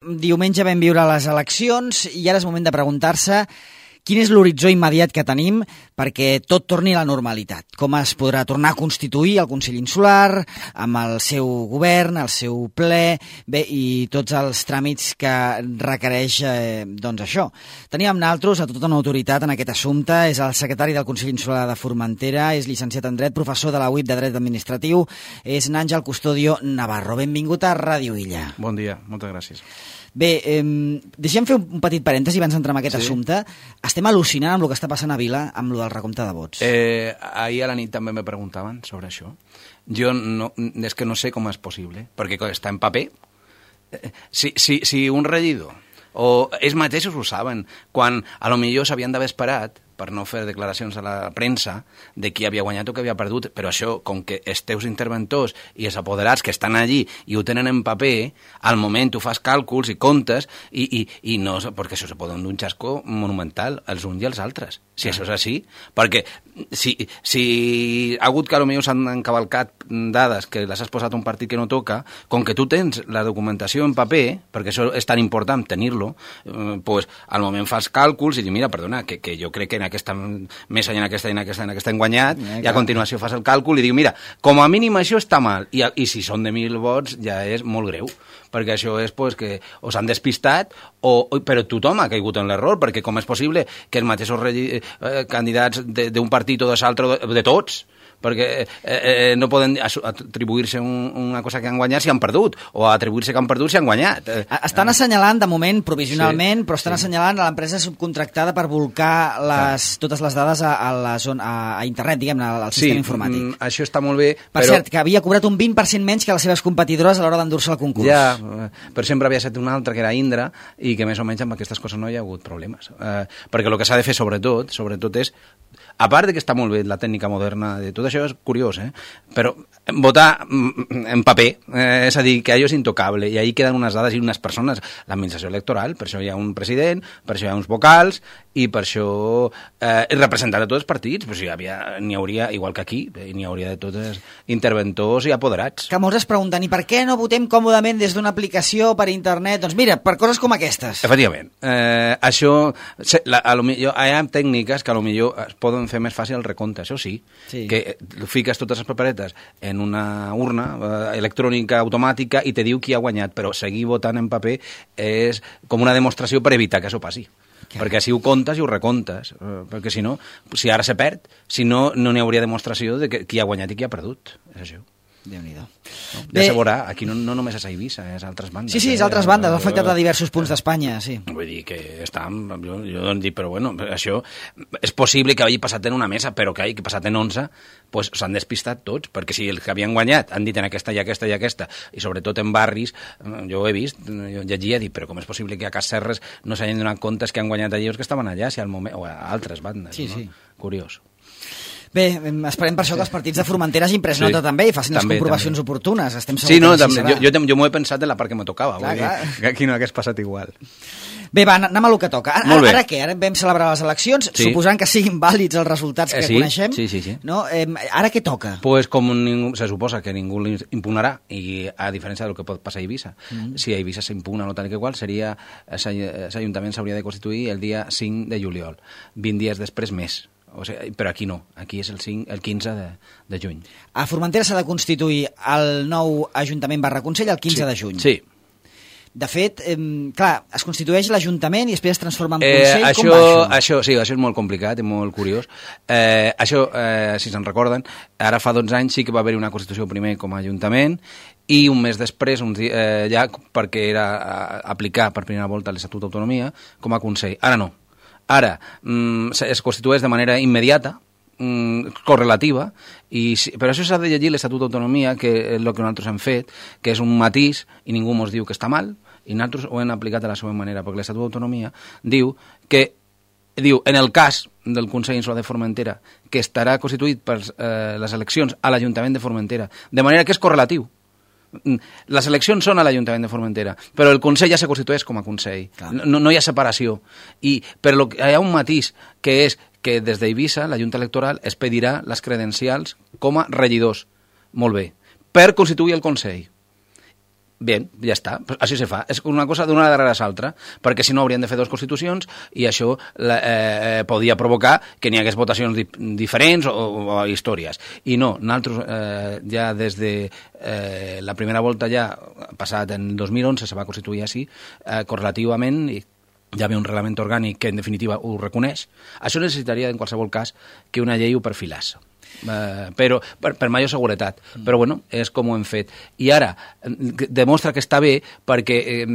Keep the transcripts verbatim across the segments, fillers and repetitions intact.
Diumenge vam viure les eleccions i ara és moment de preguntar-se quin és l'horitzó immediat que tenim perquè tot torni a la normalitat. Com es podrà tornar a constituir el Consell Insular amb el seu govern, el seu ple, bé, i tots els tràmits que requereix eh, doncs això. Teníem naltros a tota una autoritat en aquest assumpte, és el secretari del Consell Insular de Formentera, és llicenciat en Dret, professor de la U I P de Dret Administratiu, és Àngel Custodio Navarro. Benvingut a Ràdio Illa. Bon dia, moltes gràcies. Bé, eh, deixem fer un petit parèntesi abans d'entrar en aquest sí. assumpte. Estem al·lucinant amb el que està passant a Vila amb el del recompte de vots. Eh, ahir a la nit també me preguntaven sobre això. Jo no, és que no sé com és possible, perquè està en paper. Eh, si, si, si un regidor, o ells mateixos ho saben, quan a lo millor s'havien d'haver esperat per no fer declaracions a la premsa de qui havia guanyat o qui havia perdut, però això, com que els teus interventors i els apoderats que estan allí i ho tenen en paper, al moment tu fas càlculs i comptes, i, i, i no, perquè això se pot donar un xasco monumental els uns i els altres, si ah. això és així, perquè si, si ha hagut que potser s'han encavalcat dades que les has posat a un partit que no toca, com que tu tens la documentació en paper, perquè això és tan important tenir-lo, eh, pues, al moment fas càlculs i dius, mira, perdona, que, que jo crec que en aquesta mesa i en aquesta i en aquesta, en aquesta han guanyat, eh, i a continuació fas el càlcul i diu, mira, com a mínim això està mal, i, i si són de mil vots ja és molt greu, perquè això és pues, que o s'han despistat, o, però tothom ha caigut en l'error, perquè com és possible que els mateixos regi, eh, candidats d'un partit o de l'altre, de, de tots, perquè eh, eh, no poden atribuir-se un, una cosa que han guanyat si han perdut, o atribuir-se que han perdut si han guanyat. Estan assenyalant, de moment, provisionalment, sí, però estan sí. assenyalant a l'empresa subcontractada per volcar les, totes les dades a, a, la zona, a, a internet, diguem-ne, al sistema sí, informàtic. Mm, això està molt bé, per però... cert, que havia cobrat un vint per cent menys que les seves competidores a l'hora d'endur-se el concurs. Ja, però sempre havia estat una altra, que era Indra, i que més o menys amb aquestes coses no hi ha hagut problemes. Eh, perquè el que s'ha de fer, sobretot, sobretot és, a part de que està molt bé la tècnica moderna de tot això, és curiós, eh? Però votar en paper, eh, és a dir, que allò és intocable, i ahí queden unes dades i unes persones, l'administració electoral, per això hi ha un president, per això hi ha uns vocals, i per això eh, representar a tots els partits, però si hi havia, n'hi hauria, igual que aquí, n'hi hauria de tots els interventors i apoderats. Que molts es pregunten, i per què no votem còmodament des d'una aplicació per internet? Doncs mira, per coses com aquestes. Efectivament. Eh, això, la, a lo millor, hi ha tècniques que a lo millor es poden fer més fàcil el recompte, això sí, sí. que fiques totes les paperetes en una urna eh, electrònica automàtica i te diu qui ha guanyat, però seguir votant en paper és com una demostració per evitar que això passi. Clar. Perquè així ho comptes i ho recomptes, eh, perquè si no, si ara se perd, si no, no n'hi hauria demostració de que, qui ha guanyat i qui ha perdut. És això. Déu-n'hi-do. No? Ja se veurà, aquí no, no només és a Eivissa, és a altres bandes. Sí, sí, és a altres bandes, ha afectat a diversos punts d'Espanya, sí. Vull dir que estan, jo, jo dic, però bueno, això és possible que hagi passat en una mesa, però que hagi passat en onze, pues s'han despistat tots, perquè si els que havien guanyat han dit en aquesta i aquesta i aquesta, i sobretot en barris, jo ho he vist, jo llegia, dic, però com és possible que a Casserres no s'hagin donat comptes que han guanyat allà els que estaven allà, si al moment, o a altres bandes, sí, no? Sí. Curiós. Bé, esperem per això que els partits de Formentera hagin pres sí. nota també i facin també, les comprovacions també. oportunes. Estem segurs sí, no, que també, jo, jo, jo m'ho he pensat en la part que me tocava. Clar, vull clar. dir, que aquí no hagués passat igual. Bé, va, anem a lo que toca. Ara, ara què? Ara vam celebrar les eleccions, sí. suposant que siguin vàlids els resultats que eh, sí, coneixem. Sí, sí, sí. No? Eh, ara què toca? Pues com ningú, se suposa que ningú l'impugnarà, i a diferència del que pot passar a Eivissa, mm. si a Eivissa s'impugna no tal que qual, seria, l'Ajuntament s'hauria de constituir el dia cinc de juliol, vint dies després més. O sigui, però aquí no, aquí és el, cinc, el quinze de, de juny. A Formentera s'ha de constituir el nou Ajuntament barra Consell el quinze sí, de juny. Sí. De fet, eh, clar, es constitueix l'Ajuntament i després es transforma en eh, Consell. Això, Com va això? això? Sí, això és molt complicat i molt curiós. Eh, això, eh, si se'n recorden, ara fa dotze anys sí que va haver una constitució primer com a Ajuntament i un mes després, un dia, eh, ja perquè era a, aplicar per primera volta l'Estatut d'Autonomia com a Consell. Ara no. Ara, mm, es constitueix de manera immediata, mm, correlativa, i, però això s'ha de llegir l'Estatut d'Autonomia, que és el que nosaltres hem fet, que és un matís, i ningú ens diu que està mal, i nosaltres ho hem aplicat de la seva manera, perquè l'Estatut d'Autonomia diu que, diu, en el cas del Consell Insular de Formentera, que estarà constituït per eh, les eleccions a l'Ajuntament de Formentera, de manera que és correlatiu. Les eleccions són a l'Ajuntament de Formentera, però el Consell ja se constitueix com a Consell. No, no hi ha separació. I, però hi ha un matís, que és que des d'Eivissa la Junta Electoral es pedirà les credencials com a regidors. Molt bé. Per constituir el Consell. Bien, ja està. Així se fa. És una cosa d'una darrere l'altra, perquè si no haurien de fer dues constitucions i això eh, podia provocar que n'hi hagués votacions di diferents o, o històries. I no, nosaltres eh, ja des de eh, la primera volta ja, passat en dos mil onze, se va constituir així, eh, correlativament, i hi havia un reglament orgànic que en definitiva ho reconeix. Això necessitaria en qualsevol cas que una llei ho perfilàs. Uh, però per, per major seguretat, mm. però bueno, és com ho hem fet. I ara demostra que està bé perquè eh,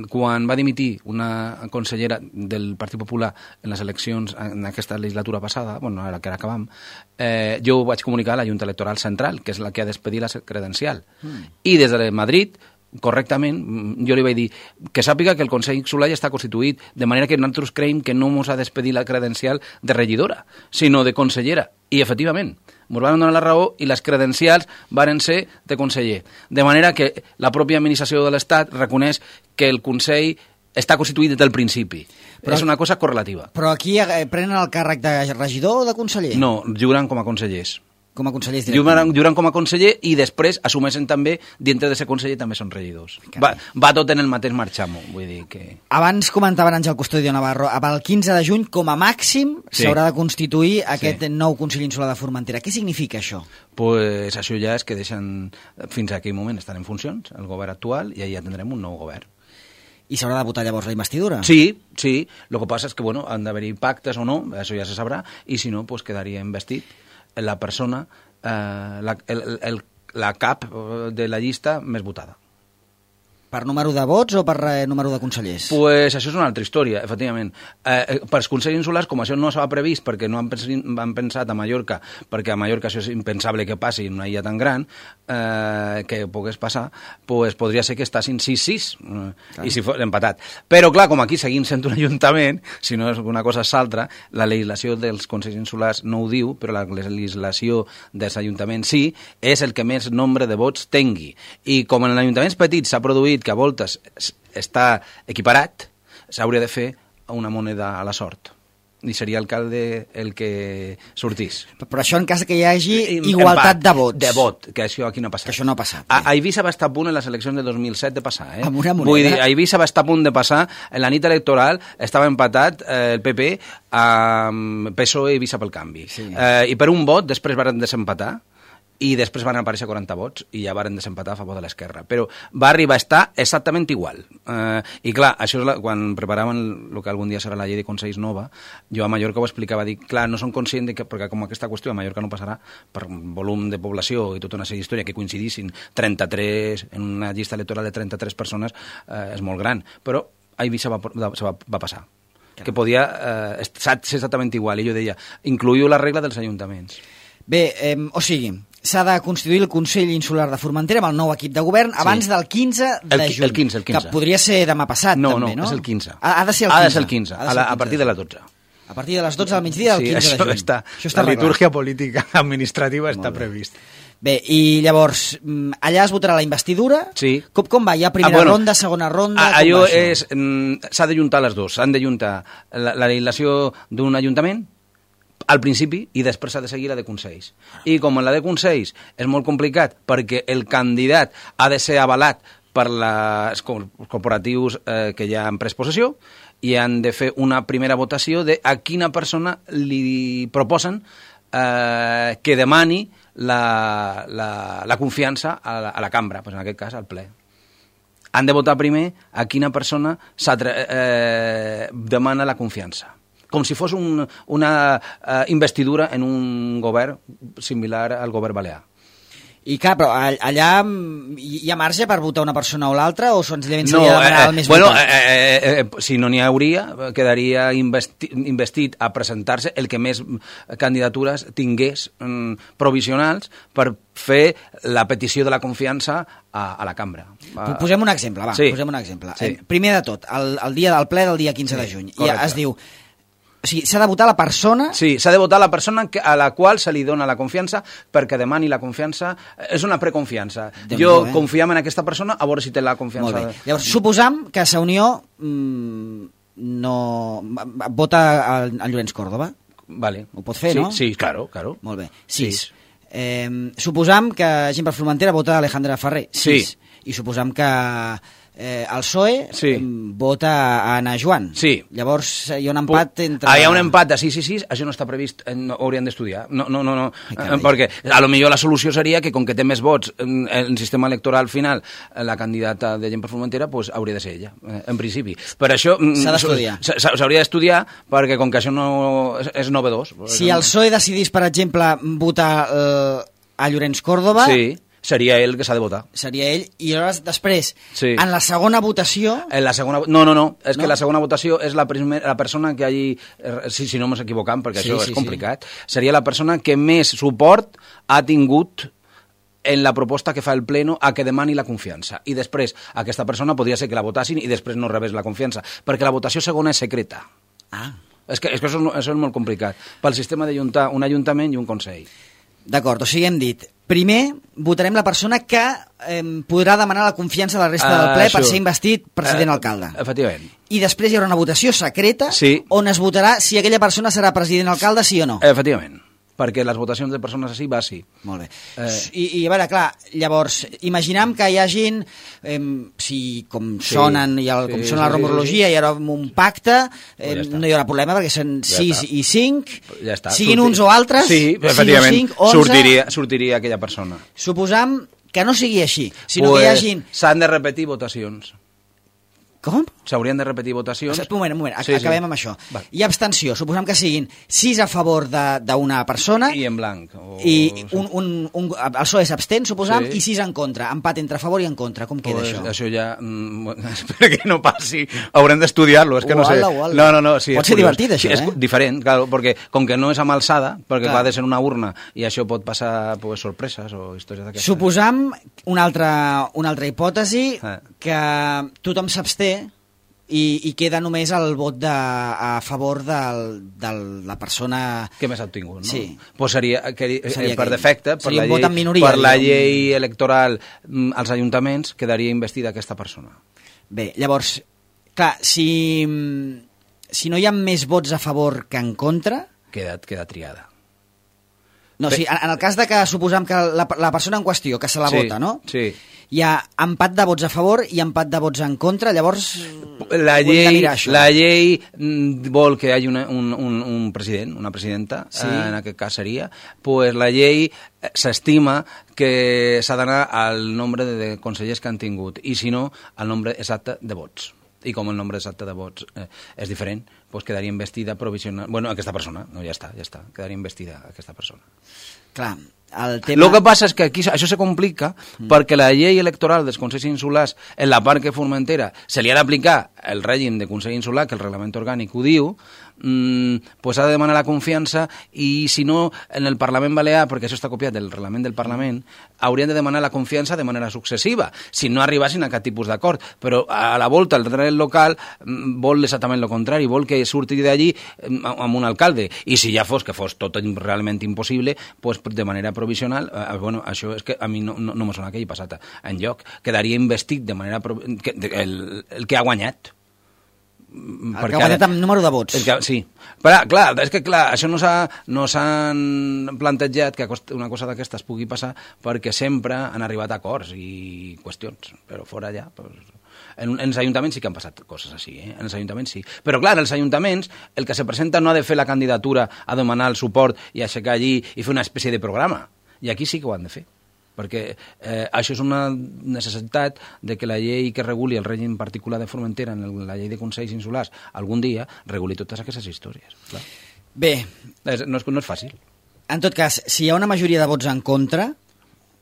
quan va dimitir una consellera del Partit Popular en les eleccions en aquesta legislatura passada, bueno, ara que ara acabam, eh, jo ho vaig comunicar a la Junta Electoral Central, que és la que ha d'expedir la credencial, mm. i des de Madrid correctament, jo li vaig dir que sàpiga que el Consell Insular ja està constituït, de manera que nosaltres creiem que no ens ha d'expedir la credencial de regidora, sinó de consellera. I, efectivament, ens van donar la raó i les credencials varen ser de conseller. De manera que la pròpia administració de l'Estat reconeix que el Consell està constituït des del principi. Però, és una cosa correlativa. Però aquí eh, prenen el càrrec de regidor o de conseller? No, juran com a consellers. Com a consellers directament. Juran com a conseller i després assumeixen també, dintre de ser conseller, també són regidors. Va, va tot en el mateix marxamo, vull dir que... Abans comentaven Àngel Custodio Navarro, el quinze de juny, com a màxim, s'haurà sí. de constituir aquest sí. nou Consell Insular de Formentera. Què significa això? Pues això ja és que deixen, fins a aquell moment estan en funcions, el govern actual, i ja tindrem un nou govern. I s'haurà de votar llavors la investidura? Sí, sí. Lo que passa és que, bueno, han d'haver-hi pactes o no, això ja se sabrà, i si no, pues quedaria investit la persona, eh, la, el, el, la cap de la llista més votada. Per número de vots o per eh, número de consellers? Pues això és una altra història, efectivament. Eh, per als consells insulars, com això no s'ha previst perquè no han, pens han pensat a Mallorca, perquè a Mallorca això és impensable que passi en una illa tan gran, eh, que pogués passar, pues podria ser que estàssim sis sis, eh, i si fos empatat. Però, clar, com aquí seguim sent un ajuntament, si no és una cosa és altra, la legislació dels consells insulars no ho diu, però la legislació dels ajuntaments sí, és el que més nombre de vots tingui. I com en ajuntaments petits s'ha produït que a voltes està equiparat, s'hauria de fer una moneda a la sort. I seria l'alcalde el que sortís. Però això en cas que hi hagi igualtat de vots. De vot, que això aquí no ha passat. Que això no ha passat. A, a Eivissa va estar a punt en les eleccions de dos mil set de passar. Eh? Amb una moneda. Vull dir, a Eivissa va estar a punt de passar, en la nit electoral estava empatat eh, el P P amb P S O E i Eivissa pel Canvi. Sí. Eh, I per un vot després van desempatar, i després van aparèixer quaranta vots i ja varen desempatar a favor de l'esquerra. Però va arribar a estar exactament igual. Eh, I clar, això és la, quan preparaven el que algun dia serà la llei de Consells nova, jo a Mallorca ho explicava, dic, clar, no són conscients de que, perquè com aquesta qüestió a Mallorca no passarà per volum de població i tota una sèrie d'història que coincidissin trenta-tres, en una llista electoral de trenta-tres persones, eh, és molt gran. Però a Eivissa va, va, va, va passar. Que podia eh, ser exactament igual. I jo deia, incluïu la regla dels ajuntaments. Bé, eh, o sigui, s'ha de constituir el Consell Insular de Formentera amb el nou equip de govern abans sí. del quinze de el, juny. El quinze, el quinze. Que podria ser demà passat, no, també, no? No, és el quinze. Ha, ha de ser el quinze. Ha de ser el quinze, a, la, a partir de les dotze. A partir de les dotze del migdia del sí, quinze de juny. Està, això està la litúrgia política administrativa està previst. Bé, i llavors, allà es votarà la investidura? Sí. Com, com va? Hi ha primera ah, bueno, ronda, segona ronda? A, allò és... S'ha de juntar les dues. S'han de juntar la, la legislació d'un ajuntament al principi i després s'ha de seguir la de Consells. I com en la de Consells és molt complicat perquè el candidat ha de ser avalat per les corporatius eh, que ja han pres possessió i han de fer una primera votació de a quina persona li proposen eh, que demani la, la, la confiança a la, a la cambra, pues en aquest cas al ple. Han de votar primer a quina persona eh, demana la confiança. Com si fos un, una uh, investidura en un govern similar al govern balear. I clar, però allà hi ha marge per votar una persona o l'altra o senzillament no, s'hauria de demanar eh, el més bueno, votat? Eh, eh, eh, si no n'hi hauria, quedaria investi, investit a presentar-se el que més candidatures tingués mm, provisionals per fer la petició de la confiança a, a la cambra. Posem un exemple, va, sí. posem un exemple. Sí. Primer de tot, el, el dia del ple del dia quinze sí, de juny, correcte. I es diu... O sigui, s'ha de votar la persona... Sí, s'ha de votar la persona a la qual se li dona la confiança perquè demani la confiança. És una preconfiança. Déu jo eh? confiem en aquesta persona a veure si té la confiança. Molt bé. Llavors, suposam que Sa Unió mmm, no... vota al, al Llorenç Córdoba. Vale. Ho pot fer, sí, no? Sí, claro, claro. Molt bé. Sis. Sí. Eh, suposam que gent per Formentera vota Alejandra Ferrer. Sis. Sí. i suposam que eh, el P S O E sí. vota a Ana Joan. Sí. Llavors hi ha un empat entre... Ah, hi ha un empat de sis i sis, això no està previst, no, ho haurien d'estudiar. No, no, no, no. Perquè a lo millor la solució seria que com que té més vots en el sistema electoral final, la candidata de Gent per Formentera, pues, hauria de ser ella, en principi. Per això... S'ha d'estudiar. S'hauria d'estudiar perquè com que això no és, és novedós. Si el P S O E decidís, per exemple, votar eh, a Llorenç Córdoba... Sí. Seria ell que s'ha de votar. Seria ell, i llavors després, sí. en la segona votació... En la segona... No, no, no, és no? que la segona votació és la, primer, la persona que hagi... Si, si no m'ho equivocant, perquè sí, això sí, és complicat, sí. seria la persona que més suport ha tingut en la proposta que fa el Pleno a que demani la confiança. I després, aquesta persona podria ser que la votassin i després no rebés la confiança, perquè la votació segona és secreta. Ah. És que, és que això, això és molt complicat. Pel sistema d'ajuntar un ajuntament i un consell. D'acord, o sigui, hem dit, primer votarem la persona que eh, podrà demanar la confiança a la resta del ple uh, per ser investit president-alcalde. Uh, efectivament. I després hi haurà una votació secreta sí. on es votarà si aquella persona serà president-alcalde, sí o no. Efectivament. Perquè les votacions de persones així va sí. Molt bé. Eh... I, I, a veure, clar, llavors, imaginem que hi hagin, eh, si com sí, sonen, i el, com sí, sona sí, la rumorologia, sí, sí. hi haurà un pacte, eh, ja no hi haurà problema, perquè són sis ja i cinc, ja siguin Surti... uns o altres, sí, efectivament, cinc, onze, sortiria, sortiria aquella persona. Suposam que no sigui així, sinó pues, que hi hagin... S'han de repetir votacions. Com? S'haurien de repetir votacions. Un moment, un moment, sí, acabem sí. amb això. Va. Hi ha abstenció, suposem que siguin sis a favor d'una persona... I en blanc. O... I un, un, un, el P S O E s'abstén, suposem, sí. i sis en contra. Empat entre a favor i en contra. Com queda pues, això? Això ja... Espera que no passi. Haurem d'estudiar-lo, és que no sé. Uala. No, no, no. Sí, pot ser curiós. Divertit, això, sí, eh? És diferent, claro, perquè com que no és amb alçada, perquè clar. Va de ser una urna, i això pot passar pues, sorpreses o històries d'aquestes. Suposam una altra, una altra hipòtesi, eh. que tothom s'absté, I, i queda només el vot de, a favor del, de la persona... Que més ha obtingut, no? Sí. Pues seria, que, seria per que, defecte, per la, llei, minoria, per la llei electoral als ajuntaments, quedaria investida aquesta persona. Bé, llavors, clar, si, si no hi ha més vots a favor que en contra... Queda, queda triada. No, sí, en, en el cas de que suposam que la, la persona en qüestió, que se la sí, vota, no? Sí. Hi ha empat de vots a favor i empat de vots en contra, llavors la llei, la llei vol que hi hagi una, un, un, un president, una presidenta, sí. En aquest cas seria, pues la llei s'estima que s'ha d'anar al nombre de consellers que han tingut, i si no, al nombre exacte de vots. I com el nombre exacte de vots eh, és diferent, pues quedaria investida provisional... Bueno, aquesta persona, no, ja està, ja està, quedaria investida aquesta persona. Clar, el tema... El que passa és que aquí això se complica mm. perquè la llei electoral dels Consells Insulars, en la part que Formentera se li ha d'aplicar el règim de Consell Insular, que el reglament orgànic ho diu, mm, pues ha de demanar la confiança, i si no, en el Parlament Balear, perquè això està copiat del reglament del Parlament, haurien de demanar la confiança de manera successiva, si no arribassin a cap tipus d'acord. Però a la volta el dret local mm, vol exactament el contrari, vol que surti d'allí mm, amb un alcalde, i si ja fos que fos tot realment impossible, pues de manera provisional, eh, bueno, això és que a mi no, no, no me sona que hi ha passat enlloc, quedaria investit de manera pro... que, de, el, el que ha guanyat. El que ha guanyat amb número de vots. Que, sí, però clar, és que clar, això no s'han no plantejat que una cosa d'aquestes pugui passar perquè sempre han arribat a acords i qüestions, però fora allà... Pues... En, en els ajuntaments sí que han passat coses així, eh? En els ajuntaments sí. Però clar, en els ajuntaments el que se presenta no ha de fer la candidatura a demanar el suport i aixecar allí i fer una espècie de programa. I aquí sí que ho han de fer. Perquè eh, això és una necessitat de que la llei que reguli el règim particular de Formentera, en el, la llei de Consells Insulars, algun dia reguli totes aquestes històries. Clar. Bé. És, no, és, no és fàcil. En tot cas, si hi ha una majoria de vots en contra...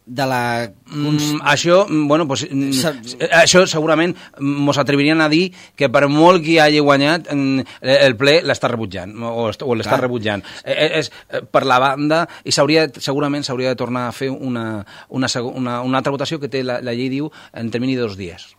de la... Mm, això, bueno, pues, Sa... això segurament mos atrevirien a dir que per molt que hagi guanyat el ple l'està rebutjant o, o l'està rebutjant. És, és per la banda, i segurament s'hauria de tornar a fer una, una, una, una altra votació que té la, la llei diu en termini de dos dies.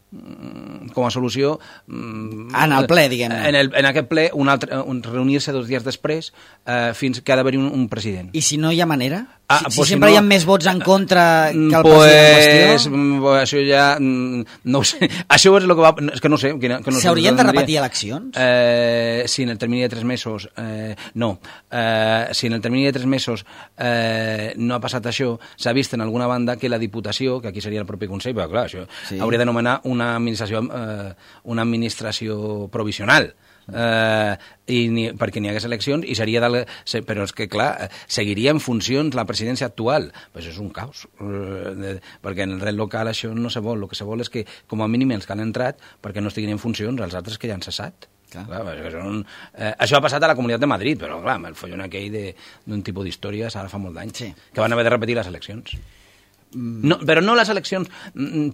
Com a solució... En el ple, diguem-ne. En, el, en aquest ple, un altre, un, reunir-se dos dies després eh, fins que ha d'haver-hi un, un president. I si no hi ha manera? Ah, si, si sempre no, hi ha més vots en contra que el pues, president en qüestió... Això ja... No ho sé. Això és el que va... És que no sé. Que no S'haurien de repetir eleccions? Eh, si en el termini de tres mesos... Eh, no. Eh, si en el termini de tres mesos eh, no ha passat això, s'ha vist en alguna banda que la Diputació, que aquí seria el propi Consell, però clar, això sí. hauria de nomenar una administració, eh, una administració provisional. Uh, i ni, perquè n'hi hagués eleccions i seria del, se, però és que clar seguiria en funcions la presidència actual, pues és un caos uh, de, perquè en el dret local això no se vol, el que se vol és que com a mínim els que han entrat perquè no estiguin en funcions els altres que ja han cessat. Clar. Clar, són, eh, això ha passat a la Comunitat de Madrid, però clar, el follon aquell d'un tipus d'històries ara fa molt d'anys sí. que van haver de repetir les eleccions. No, però no les eleccions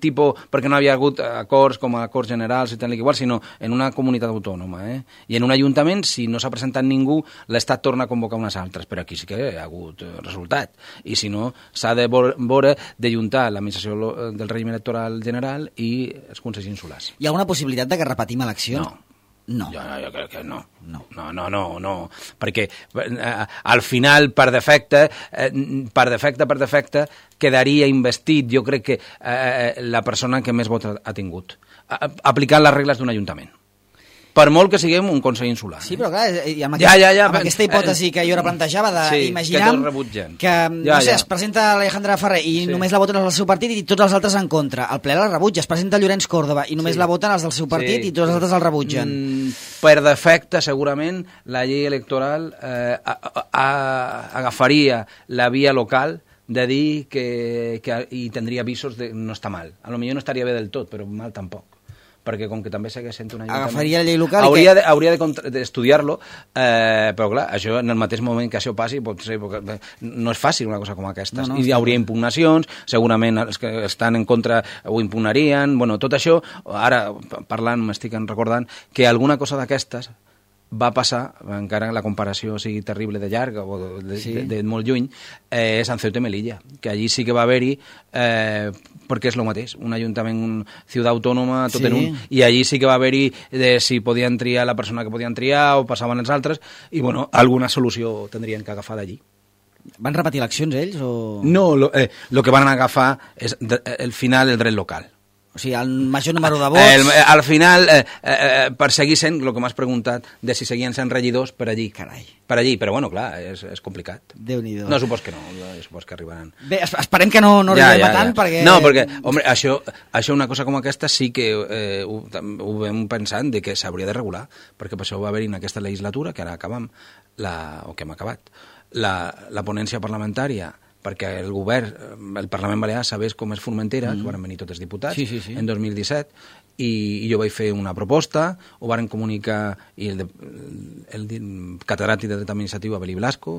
tipo, perquè no havia hagut acords com a acords generals i tal i igual, sinó en una comunitat autònoma. Eh? I en un ajuntament, si no s'ha presentat ningú, l'Estat torna a convocar unes altres, però aquí sí que ha hagut resultat. I si no, s'ha de veure d'ajuntar l'administració del règim electoral general i els consells insulars. Hi ha alguna possibilitat de que repetim eleccions? No. No. Jo, jo crec que no. No, no, no, no, no. Perquè eh, al final, per defecte, eh, per defecte, per defecte, quedaria investit, jo crec que eh, la persona que més vots ha tingut, aplicant les regles d'un ajuntament. Per molt que siguem un Consell Insular. Sí, però clar, i amb, ja, ja, ja, amb aquesta hipòtesi que jo ara plantejava d'imaginar sí, que, que no ja, sé, ja. es presenta l'Alejandra Ferrer i sí. només la voten els del seu partit i tots els altres en contra. El ple la rebutja. Es presenta Llorenç Córdoba i només sí. la voten els del seu partit sí. i tots els altres el rebutgen. Mm, per defecte, segurament, la llei electoral eh, a, a, a, agafaria la via local de dir que, que hi tindria avisos de no està mal. A lo millor no estaria bé del tot, però mal tampoc. Perquè com que també segueix sent un ajuntament... Agafaria la llei local hauria que... de, hauria d'estudiar-lo, eh, però clar, això en el mateix moment que això passi, pot ser, no és fàcil una cosa com aquesta. No, no, I hi hauria impugnacions, segurament els que estan en contra ho impugnarien, bueno, tot això, ara parlant, m'estic recordant, que alguna cosa d'aquestes va passar, encara la comparació sigui terrible de llarga o de, sí. de, de molt lluny, eh, és en Ceuta i Melilla, que allí sí que va haver-hi, eh, perquè és el mateix, un ajuntament, un ciutat autònoma, tot sí. en un, i allí sí que va haver-hi de si podien triar la persona que podien triar o passaven els altres, i bueno, alguna solució tindrien que agafar d'allí. Van repetir eleccions ells? O... No, el eh, lo que van agafar és el final el dret local. O sigui, el major número de vots... El, al final, eh, eh, per seguir sent, el que m'has preguntat, de si seguien sent regidors per allí. Carai. Per allí, però bueno, clar, és, és complicat. Déu-n'hi-do. No, supos que no, supos que arribaran. Bé, esperem que no, no arribem ja, ja, a tant, ja. perquè... No, perquè, home, això, això una cosa com aquesta sí que eh, ho, ho vam pensant de que s'hauria de regular, perquè per això va haver-hi en aquesta legislatura, que ara acabam, la, o que hem acabat, la, la ponència parlamentària perquè el govern, el Parlament Balear, sabés com és Formentera, mm. que van venir tots els diputats, sí, sí, sí. en dos mil disset, i, i jo vaig fer una proposta, ho varen comunicar, i el, de, el, el catedràtic de dret administratiu, Abelí Blasco,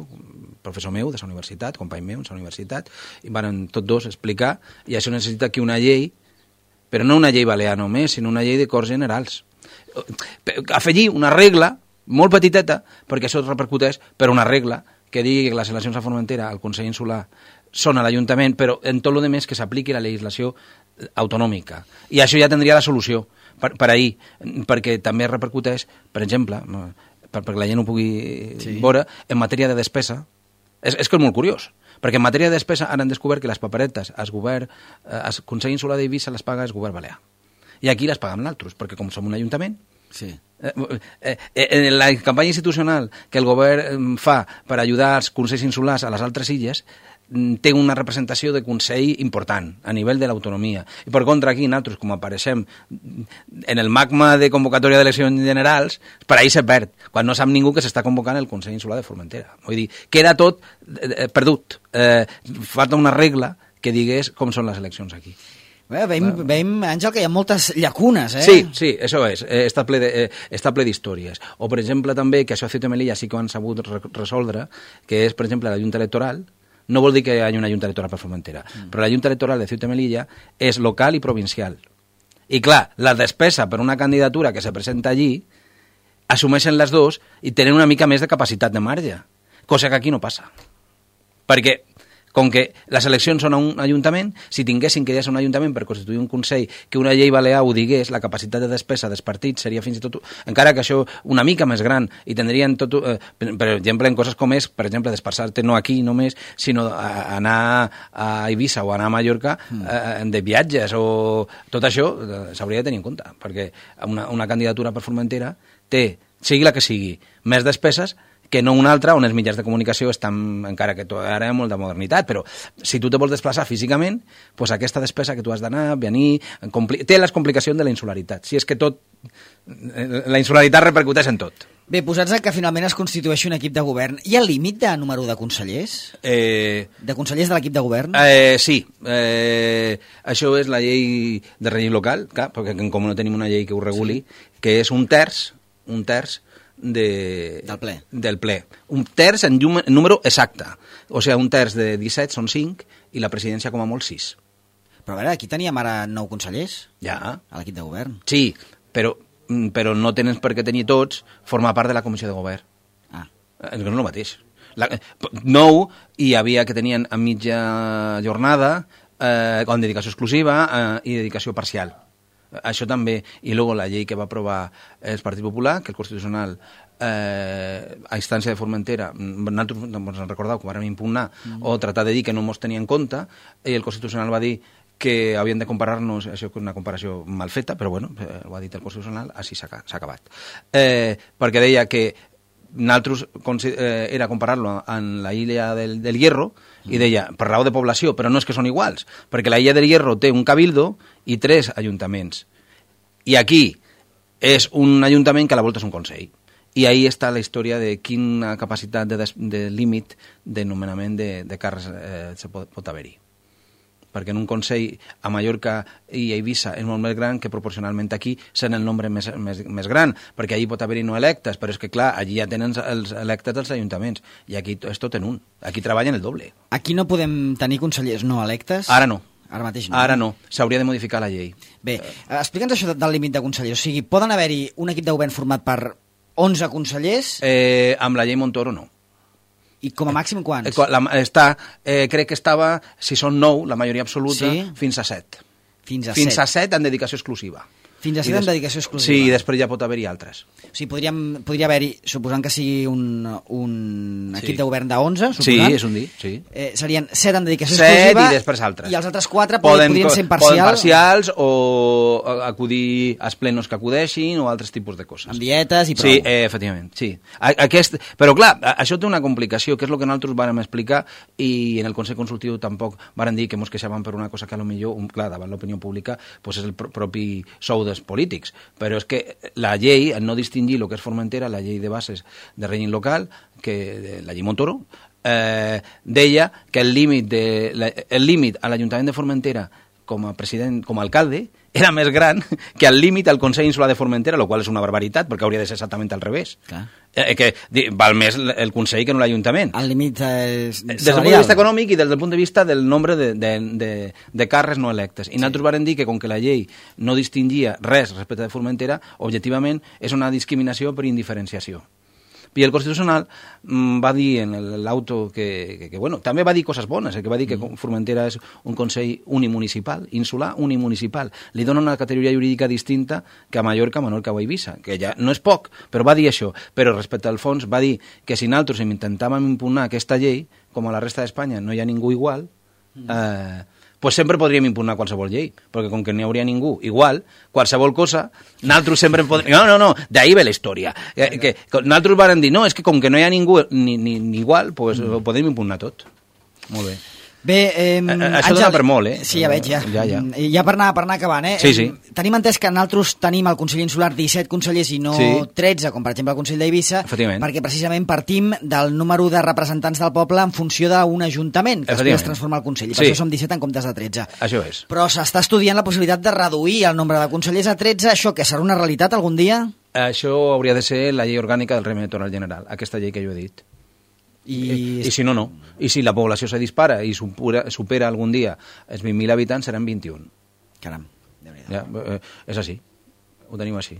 professor meu de la universitat, company meu de la universitat, i varen tots dos explicar, i això necessita que una llei, però no una llei balear només, sinó una llei de Corts Generals. Afegir una regla molt petiteta, perquè això repercuteix, per una regla que digui que les eleccions a Formentera, al Consell Insular, són a l'Ajuntament, però en tot el més que s'apliqui la legislació autonòmica. I això ja tindria la solució per, per ahir, perquè també repercuteix, per exemple, per, perquè la gent ho pugui sí. veure, en matèria de despesa. És, és que és molt curiós, perquè en matèria de despesa han descobert que les paperetes al govern, al Consell Insular d'Eivissa les paga el govern balear. I aquí les pagam nosaltres, perquè com som un ajuntament, sí. Eh, eh, eh, la campanya institucional que el govern fa per ajudar els consells insulars a les altres illes té una representació de consell important a nivell de l'autonomia. I per contra aquí, nosaltres, com apareixem en el magma de convocatòria d'eleccions generals, per ahir se perd, quan no sap ningú que s'està convocant el Consell Insular de Formentera. Vull dir, queda tot eh, perdut. Eh, falta una regla que digués com són les eleccions aquí. Bé, veiem, veiem, Àngel, que hi ha moltes llacunes, eh? Sí, sí, això és. Eh, està ple de, eh, està ple d'històries. O, per exemple, també, que això a Ceuta i Melilla sí que ho han sabut re resoldre, que és, per exemple, la Junta Electoral. No vol dir que hi hagi una Junta Electoral per Formentera, mm. però la Junta Electoral de Ceuta i Melilla és local i provincial. I, clar, la despesa per una candidatura que se presenta allí assumeixen les dues i tenen una mica més de capacitat de marge, cosa que aquí no passa. Perquè Com que les eleccions són a un ajuntament, si tinguessin que ja ser un ajuntament per constituir un consell, que una llei balear ho digués, la capacitat de despesa dels partits seria fins i tot, encara que això una mica més gran, i tindrien tot, eh, per exemple, en coses com és, per exemple, desplaçar-te no aquí només, sinó a anar a Eivissa o anar a Mallorca eh, de viatges o tot això eh, s'hauria de tenir en compte, perquè una, una candidatura per Formentera té, sigui la que sigui, més despeses que no una altra on els mitjans de comunicació estan, encara que ara hi ha molta modernitat, però si tu te vols desplaçar físicament, pues aquesta despesa que tu has d'anar, venir, té les complicacions de la insularitat. Si és que tot, la insularitat repercuteix en tot. Bé, posats que finalment es constitueixi un equip de govern, hi ha límit de número de consellers? Eh, de consellers de l'equip de govern? Eh, sí. Eh, això és la llei de règim local, clar, perquè com no tenim una llei que ho reguli, sí. que és un terç, un terç de, del ple. Del ple. Un terç en llum, número exacte. O sigui, un terç de disset són cinc i la presidència com a molt sis. Però a veure, aquí teníem ara nou consellers. Ja. A l'equip de govern. Sí, però, però no tenen per què tenir tots formar part de la comissió de govern. Ah. És que no és el mateix. La, nou hi havia que tenien a mitja jornada, eh, amb dedicació exclusiva eh, i dedicació parcial. Això també, i luego la llei que va aprovar el Partit Popular, que el Constitucional eh, a instància de Formentera, nosaltres ens en recordeu que vam impugnar mm. o tratar de dir que no mos tenia en compte, i el Constitucional va dir que havien de comparar-nos, això és una comparació mal feta, però bueno, ho ha dit el Constitucional, així s'ha acabat. Eh, perquè deia que nosaltres eh, era comparar-lo amb la illa del, del Hierro, i deia, per raó de població, però no és que són iguals, perquè la illa del Hierro té un cabildo i tres ajuntaments. I aquí és un ajuntament que a la volta és un consell. I ahí està la història de quina capacitat de, de límit de nomenament de, de càrrecs eh, se pot, pot haver-hi. Perquè en un consell a Mallorca i a Eivissa és molt més gran que proporcionalment aquí sent el nombre més, més, més gran, perquè allí pot haver-hi no electes, però és que clar, allí ja tenen els electes dels ajuntaments, i aquí és tot en un, aquí treballen el doble. Aquí no podem tenir consellers no electes? Ara no. Ara mateix no. Ara no, s'hauria de modificar la llei. Bé, eh, explica'ns això del límit de consellers, o sigui, poden haver-hi un equip de govern format per onze consellers? Eh, amb la llei Montoro no. I com a màxim quants? Eh, la, està, eh, crec que estava, si són nou, la majoria absoluta, sí? fins a set. Fins a fins set. a set en dedicació exclusiva. Fins a set en dedicació exclusiva. Sí, i després ja pot haver-hi altres. O sigui, podríem, podria haver-hi, suposant que sigui un, un sí. equip de govern d'onze, suposant. Sí, és un dir, sí. Eh, serien set en dedicació set exclusiva. I després altres. I els altres quatre poden, podrien ser imparcials. Poden parcials o acudir als plenos que acudeixin o altres tipus de coses. Amb dietes i prou. Sí, eh, efectivament, sí. Aquest, però clar, això té una complicació, que és el que nosaltres vàrem explicar, i en el Consell Consultiu tampoc vàrem dir que mos queixàvem per una cosa que a lo millor, clar, davant l'opinió pública, pues és el propi sou dels polítics. Però és que la llei, en no distingir el que és Formentera, la llei de bases de règim local, que la llei Montoro, eh, deia que el límit, de, la, el límit a l'Ajuntament de Formentera com a president, com a alcalde, era més gran que el límit al Consell Insular de Formentera, el qual és una barbaritat, perquè hauria de ser exactament al revés. Eh, que val més el Consell que no l'Ajuntament. El límit és des del punt de vista econòmic i des del punt de vista del nombre de, de, de, de càrrecs no electes. I sí. Nosaltres vàrem dir que com que la llei no distingia res respecte de Formentera, objectivament és una discriminació per indiferenciació. I el Constitucional mm, va dir en l'auto que, que, que, bueno, també va dir coses bones, eh, que va dir que Formentera és un consell unimunicipal, insular unimunicipal. Li dona una categoria jurídica distinta que a Mallorca, Menorca o Eivissa, que ja no és poc, però va dir això. Però respecte al fons va dir que si nosaltres intentàvem impugnar aquesta llei, com a la resta d'Espanya no hi ha ningú igual, eh, pues sempre podríem impugnar qualsevol llei, perquè com que no hi hauria ningú igual, qualsevol cosa, nosaltres sempre podríem... No, no, no, d'ahí ve la història. Que, que, que nosaltres vàrem dir, no, és que com que no hi ha ningú ni, ni, ni igual, pues mm. podem impugnar tot. Molt bé. Bé, eh, això dona per molt, eh? Sí, ja veig, ja. Ja, ja. ja per, anar, per anar acabant, eh? Sí, sí. Tenim entès que nosaltres tenim al Consell Insular disset consellers i no sí. tretze, com per exemple el Consell d'Eivissa, perquè precisament partim del número de representants del poble en funció d'un ajuntament, que després es transforma el Consell, i per sí. això som disset en comptes de tretze. Això és. Però s'està estudiant la possibilitat de reduir el nombre de consellers a tretze, això que serà una realitat algun dia? Això hauria de ser la llei orgànica del règim electoral general, aquesta llei que jo he dit. I... I, I si no, no. I si la població se dispara i supera, supera algun dia els vint mil habitants, seran vint-i-un. Caram, ja, eh, és així. Ho tenim així.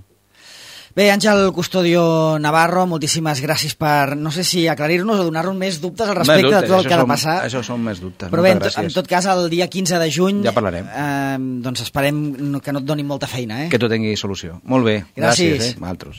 Bé, Àngel Custodio Navarro, moltíssimes gràcies per, no sé si aclarir-nos o donar-nos més dubtes al respecte dubtes, de tot el que ha de són, passar. Això són més dubtes. Però bé, en, en tot cas, el dia quinze de juny... Ja parlarem. Eh, doncs esperem que no et donin molta feina, eh? Que tot tingui solució. Molt bé. Gràcies. Gràcies, eh? Altres.